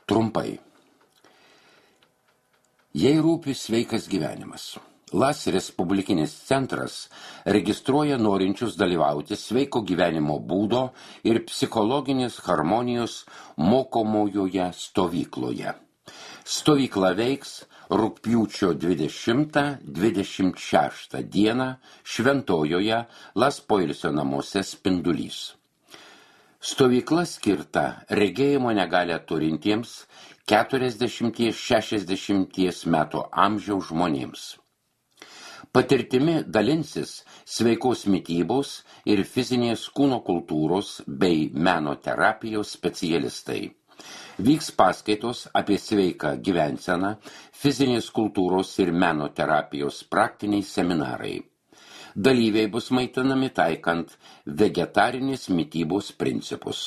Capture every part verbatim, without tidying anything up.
Trumpai. Jei rūpi sveikas gyvenimas, LAS Respublikinis centras registruoja norinčius dalyvauti sveiko gyvenimo būdo ir psichologinės harmonijos mokomojoje stovykloje. Stovykla veiks rugpjūčio dvidešimtą dvidešimt šeštą dieną Šventojoje LAS poilsio namuose Spindulys. Stovykla skirta regėjimo negalią turintiems keturiasdešimt šešiasdešimt metų amžiaus žmonėms. Patirtimi dalinsis sveikos mitybos ir fizinės kūno kultūros bei meno terapijos specialistai. Vyks paskaitos apie sveiką gyvenseną, fizinės kultūros ir meno terapijos praktiniai seminarai. Dalyviai bus maitinami taikant vegetarinės mitybos principus.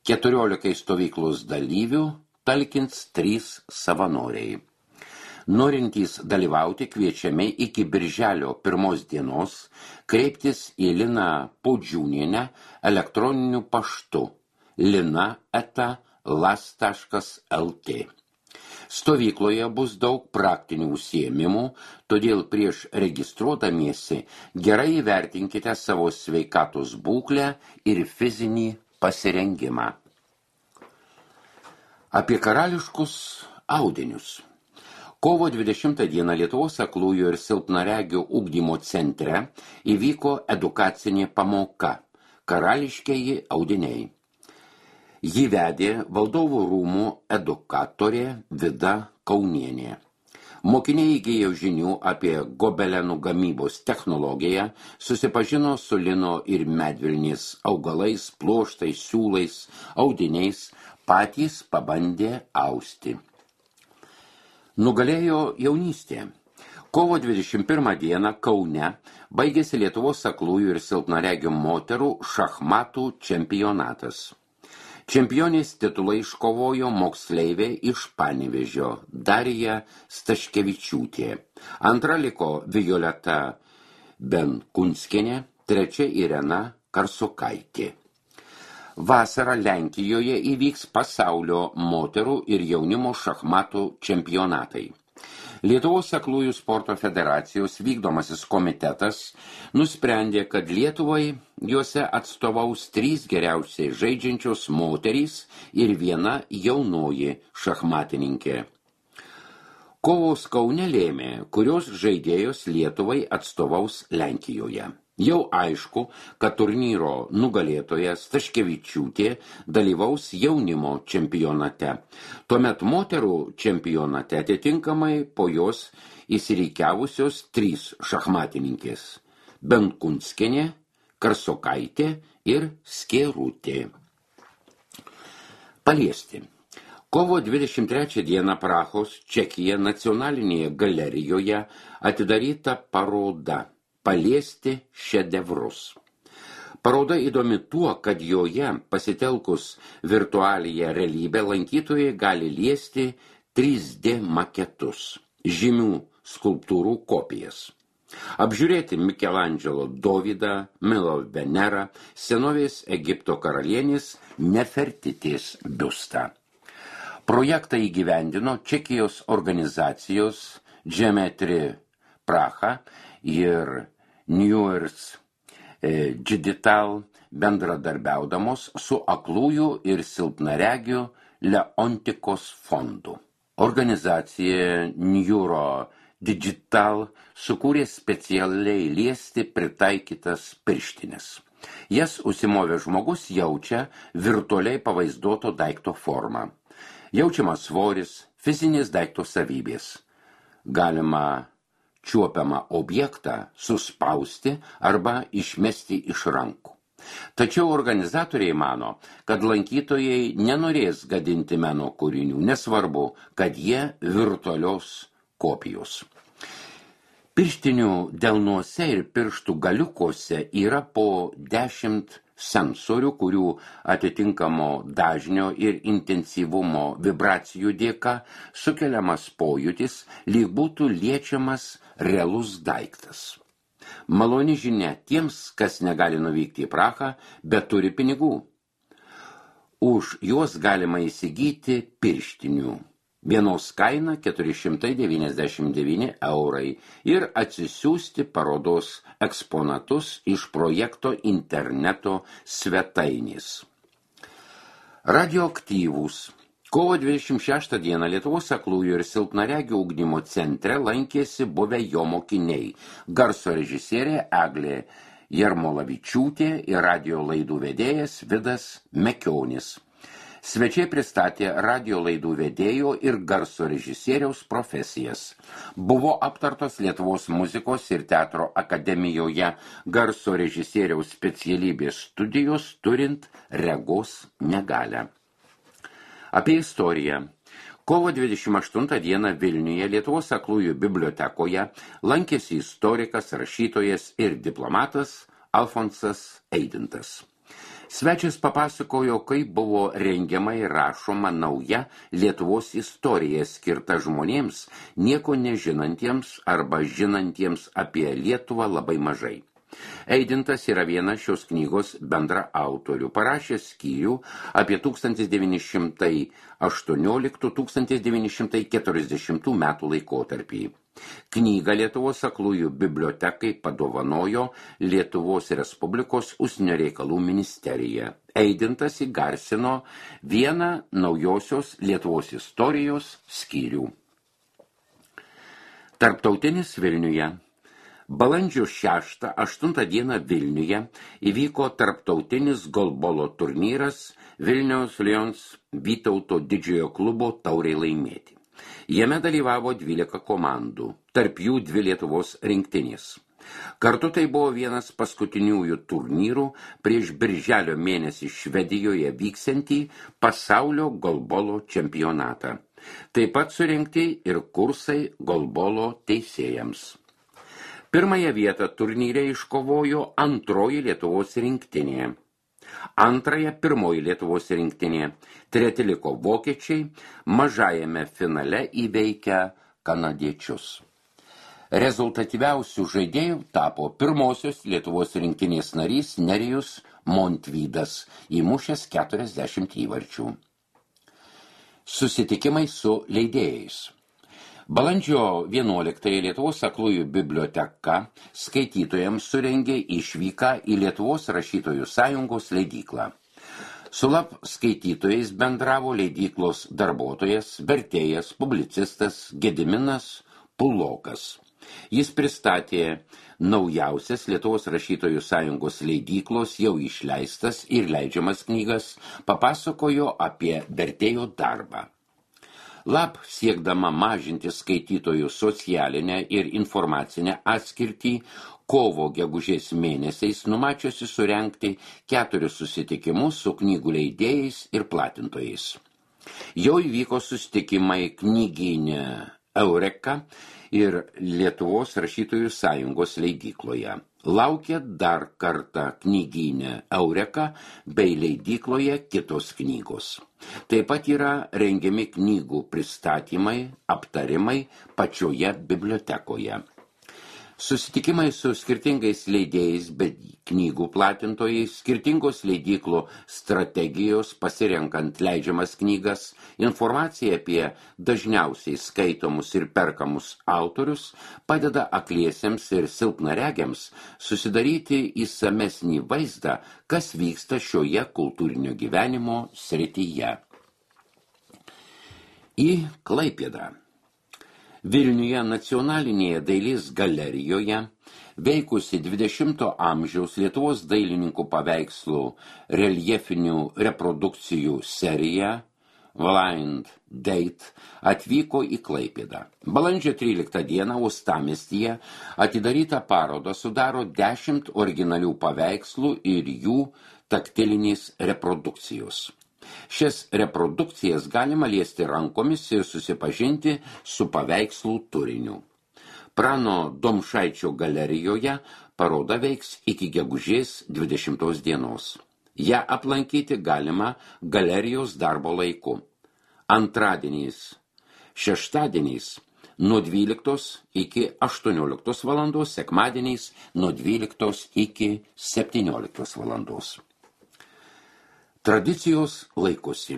Keturiolikai stovyklos dalyvių talkins trys savanoriai. Norintys dalyvauti kviečiami iki birželio pirmos dienos kreiptis į Liną Podžiūnienę elektroniniu paštu lina eta las taškas lt. Stovykloje bus daug praktinių užsiėmimų, todėl prieš registruodamiesi gerai įvertinkite savo sveikatos būklę ir fizinį pasirengimą. Apie karališkus audinius. Kovo dvidešimtą dieną Lietuvos aklųjų ir silpnaregių ugdymo centre įvyko edukacinė pamoka Karališkieji audiniai. Jį vedė Valdovų rūmų edukatorė Vida Kaunienė. Mokiniai įgijo žinių apie gobelenų gamybos technologiją, susipažino su lino ir medvilnės augalais, pluoštais, siūlais, audiniais, patys pabandė austi. Nugalėjo jaunystė. Kovo dvidešimt pirmą dieną Kaune baigėsi Lietuvos aklųjų ir silpnaregių moterų šachmatų čempionatas. Čempionės titulą iškovojo moksleivė iš Panevėžio Darija Staškevičiūtė. Antra liko Violeta Benkunskienė, trečia Irena Karsokaitė. Vasarą Lenkijoje įvyks pasaulio moterų ir jaunimo šachmatų čempionatai. Lietuvos aklųjų sporto federacijos vykdomasis komitetas nusprendė, kad Lietuvai juose atstovaus trys geriausiai žaidžiančios moterys ir viena jaunoji šachmatininkė. Kovos Kaune lėmė, kurios žaidėjos Lietuvai atstovaus Lenkijoje. Jau aišku, kad turnyro nugalėtoja Staškevičiūtė dalyvaus jaunimo čempionate. Tuomet moterų čempionate atitinkamai po jos įsirikiavusios trys šachmatininkės – Benkunskienė, Karsokaitė ir Skėrutė. Paliesti. Kovo dvidešimt trečią dieną Prahos, Čekija nacionalinėje galerijoje atidaryta paroda Paliesti šedevrus. Paroda įdomi tuo, kad joje pasitelkus virtualiąją realybę lankytojai gali liesti trys D maketus, žymių skulptūrų kopijas. Apžiūrėti Mikelandželo Dovydą, Milo Venerą, senovės Egipto karalienės Nefertitės biustą. Projektą įgyvendino Čekijos organizacijos Geometry Praha ir News Digital bendradarbiaudamos su aklųjų ir silpnaregių Leontikos fondu. Organizacija Neuro Digital sukūrė specialiai liesti pritaikytas pirštines. Jas užsimovė žmogus jaučia virtualiai pavaizduoto daikto formą. Jaučiamas svoris, fizinės daikto savybės. Galima čiuopiamą objektą suspausti arba išmesti iš rankų. Tačiau organizatoriai mano, kad lankytojai nenorės gadinti meno kūrinių, nesvarbu, kad jie virtualios kopijos. Pirštinių delnuose ir pirštų galiukuose yra po dešimt sensorių, kurių atitinkamo dažnio ir intensyvumo vibracijų dėka sukeliamas pojūtis, lyg būtų liečiamas realus daiktas. Maloni žinia tiems, kas negali nuvykti į Prahą, bet turi pinigų. Už juos galima įsigyti pirštinių. Vienos kaina keturi šimtai devyniasdešimt devyni eurai ir atsisiųsti parodos eksponatus iš projekto interneto svetainės. Radioaktyvūs. Kovo dvidešimt šeštą dieną Lietuvos aklųjų ir silpnaregių ugdymo centre lankėsi buvę jo mokiniai, garso režisierė Eglė Jarmolavičiūtė ir radio laidų vedėjas Vidas Mekionis. Svečiai pristatė radio laidų vedėjo ir garso režisieriaus profesijas. Buvo aptartos Lietuvos muzikos ir teatro akademijoje garso režisieriaus specialybės studijos turint regos negalią. Apie istoriją. Kovo dvidešimt aštuntą dieną Vilniuje Lietuvos aklųjų bibliotekoje lankėsi istorikas, rašytojas ir diplomatas Alfonsas Eidintas. Svečias papasakojo, kaip buvo rengiama ir rašoma nauja Lietuvos istorija skirta žmonėms, nieko nežinantiems arba žinantiems apie Lietuvą labai mažai. Eidintas yra vienas šios knygos bendra autorių, parašęs skyrių apie tūkstantis devyni šimtai aštuonioliktų - tūkstantis devyni šimtai keturiasdešimtų metų laikotarpį. Knygą Lietuvos aklųjų bibliotekai padovanojo Lietuvos Respublikos užsienio reikalų ministerija. Eidintas įgarsino vieną naujosios Lietuvos istorijos skyrių. Tarptautinis Vilniuje. Balandžio šeštą aštuntą dieną Vilniuje įvyko tarptautinis golbolo turnyras Vilniaus Lions Vytauto didžiojo klubo taurei laimėti. Jame dalyvavo dvylika komandų, tarp jų dvi Lietuvos rinktinės. Kartu tai buvo vienas paskutiniųjų turnyrų prieš birželio mėnesį Švedijoje vyksiantį pasaulio golbolo čempionatą. Taip pat surengti ir kursai golbolo teisėjams. Pirmąją vietą turnyre iškovojo antroji Lietuvos rinktinė. Antrąją pirmoji Lietuvos rinktinė. Treti liko vokiečiai, mažajame finale įveikę kanadiečius. Rezultatyviausių žaidėjų tapo pirmosios Lietuvos rinktinės narys Nerijus Montvydas, įmušęs keturiasdešimt įvarčių. Susitikimai su leidėjais. Balandžio vienuoliktąją Lietuvos aklųjų biblioteka skaitytojams surengė išvyką į Lietuvos rašytojų sąjungos leidyklą. Su lab skaitytojais bendravo leidyklos darbuotojas, vertėjas, publicistas Gediminas Pulokas. Jis pristatė naujausias Lietuvos rašytojų sąjungos leidyklos jau išleistas ir leidžiamas knygas, papasakojo apie vertėjo darbą. Lab siekdama mažinti skaitytojų socialinę ir informacinę atskirtį, kovo gegužės mėnesiais numačiusi surengti keturis susitikimus su knygų leidėjais ir platintojais. Jau įvyko susitikimai knygyne Eureka ir Lietuvos rašytojų sąjungos leidykloje. Laukia dar kartą knygyne Eureka bei leidykloje kitos knygos. Taip pat yra rengiami knygų pristatymai, aptarimai pačioje bibliotekoje. Susitikimai su skirtingais leidėjais, bet knygų platintojais, skirtingos leidyklų strategijos pasirenkant leidžiamas knygas, informacija apie dažniausiai skaitomus ir perkamus autorius padeda akliesiems ir silpnaregiams susidaryti išsamesnį vaizdą, kas vyksta šioje kultūrinio gyvenimo srityje. Į Klaipėdą. Vilniuje nacionalinėje dailės galerijoje veikusi dvidešimto amžiaus Lietuvos dailininkų paveikslų reljefinių reprodukcijų serija Blind Date atvyko į Klaipėdą. Balandžio tryliktą dieną uostamiestyje atidarytą parodą sudaro dešimt originalių paveikslų ir jų taktilinės reprodukcijos. Šias reprodukcijas galima liesti rankomis ir susipažinti su paveikslų turiniu. Prano Domšaičio galerijoje paroda veiks iki gegužės dvidešimtos dienos. Ja aplankyti galima galerijos darbo laiku. Antradieniais, šeštadieniais nuo dvyliktos iki aštuonioliktos valandos, sekmadieniais nuo dvyliktos iki septynioliktos valandos. Tradicijos laikosi.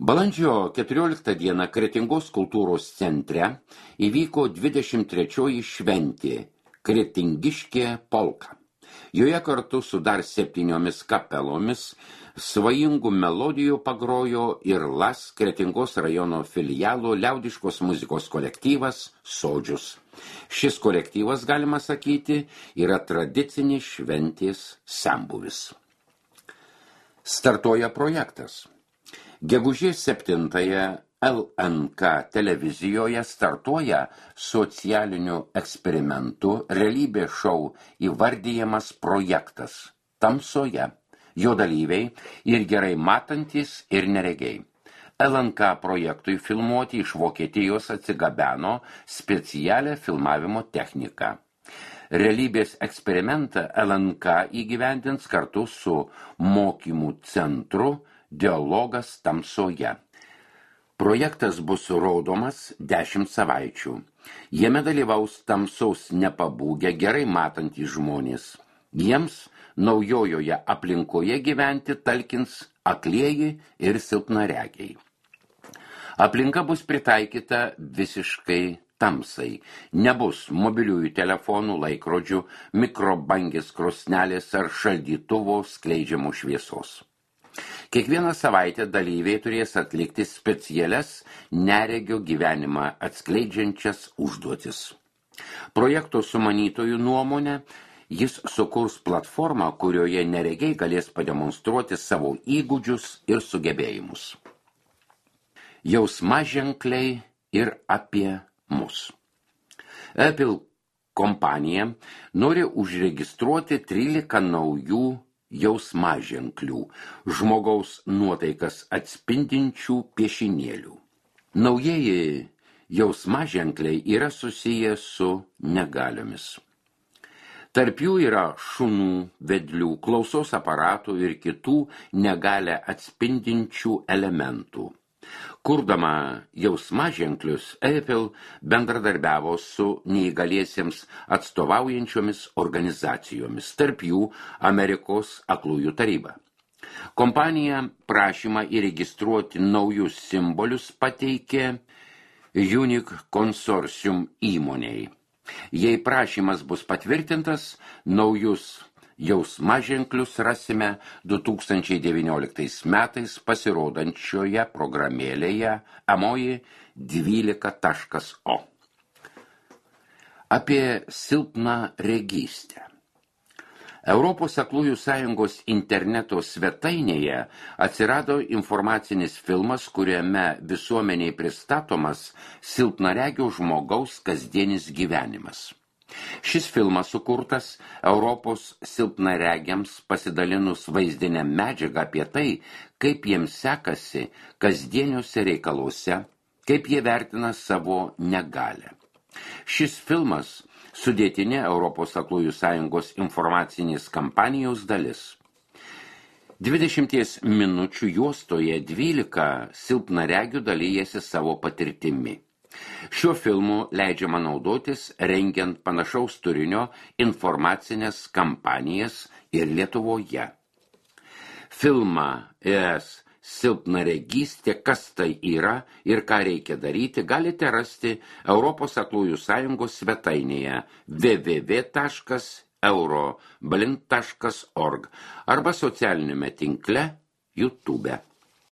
Balandžio keturioliktą dieną Kretingos kultūros centre įvyko dvidešimt trečioji šventė Kretingiškė polka. Joje kartu su dar septyniomis kapelomis svajingų melodijų pagrojo ir Las Kretingos rajono filialo liaudiškos muzikos kolektyvas Sodžius. Šis kolektyvas, galima sakyti, yra tradicinis šventės senbuvis. Startuoja projektas. Gegužės septintąją L N K televizijoje startuoja socialiniu eksperimentu realybės šou įvardijamas projektas Tamsoje. Jo dalyviai ir gerai matantys ir neregiai. L N K projektui filmuoti iš Vokietijos atsigabeno specialią filmavimo techniką. Realybės eksperimentą L N K įgyvendins kartu su mokymų centru Dialogas Tamsoje. Projektas bus rodomas dešimt savaičių. Jame dalyvaus tamsaus nepabūgę gerai matantys žmonės. Jiems naujojoje aplinkoje gyventi talkins aklieji ir silpnaregiai. Aplinka bus pritaikyta visiškai tamsai. Nebus mobiliųjų telefonų, laikrodžių, mikrobangės krosnelės ar šaldytuvo skleidžiamų šviesos. Kiekvieną savaitę dalyviai turės atlikti specialias neregio gyvenimą atskleidžiančias užduotis. Projekto sumanytojų nuomonė, jis sukurs platformą, kurioje neregiai galės pademonstruoti savo įgūdžius ir sugebėjimus. Jausmaženkliai ir apie mus. Apple kompanija nori užregistruoti trylika naujų jausmaženklių, žmogaus nuotaikas atspindinčių piešinėlių. Naujieji jausmaženkliai yra susiję su negaliomis. Tarp jų yra šunų, vedlių, klausos aparatų ir kitų negalią atspindinčių elementų. Kurdama jausmaženklius, Apple bendradarbiavo su neįgaliesiems atstovaujančiomis organizacijomis, tarp jų Amerikos aklųjų taryba. Kompanija prašymą įregistruoti naujus simbolius pateikė Unique Consortium įmonei. Jei prašymas bus patvirtintas, naujus jausmaženklius rasime du tūkstančiai devynioliktais metais pasirodančioje programėlėje Amoji dvylika taškas o. Apie silpną regystę. Europos aklųjų sąjungos interneto svetainėje atsirado informacinis filmas, kuriame visuomeniai pristatomas silpnaregio žmogaus kasdienis gyvenimas. Šis filmas sukurtas Europos silpnaregiams pasidalinus vaizdinę medžiagą apie tai, kaip jiems sekasi kasdieniuose reikaluose, kaip jie vertina savo negalią. Šis filmas sudėtinė Europos aklųjų sąjungos informacinės kampanijos dalis. dvidešimties minučių juostoje dvylika silpnaregių dalyjasi savo patirtimi. Šiuo filmu leidžiama naudotis rengiant panašaus turinio informacinės kampanijas ir Lietuvoje. Filmą ES silpnaregystė, kas tai yra ir ką reikia daryti, galite rasti Europos aklųjų sąjungos svetainėje w w w taškas euroblind taškas org arba socialiniame tinkle YouTube.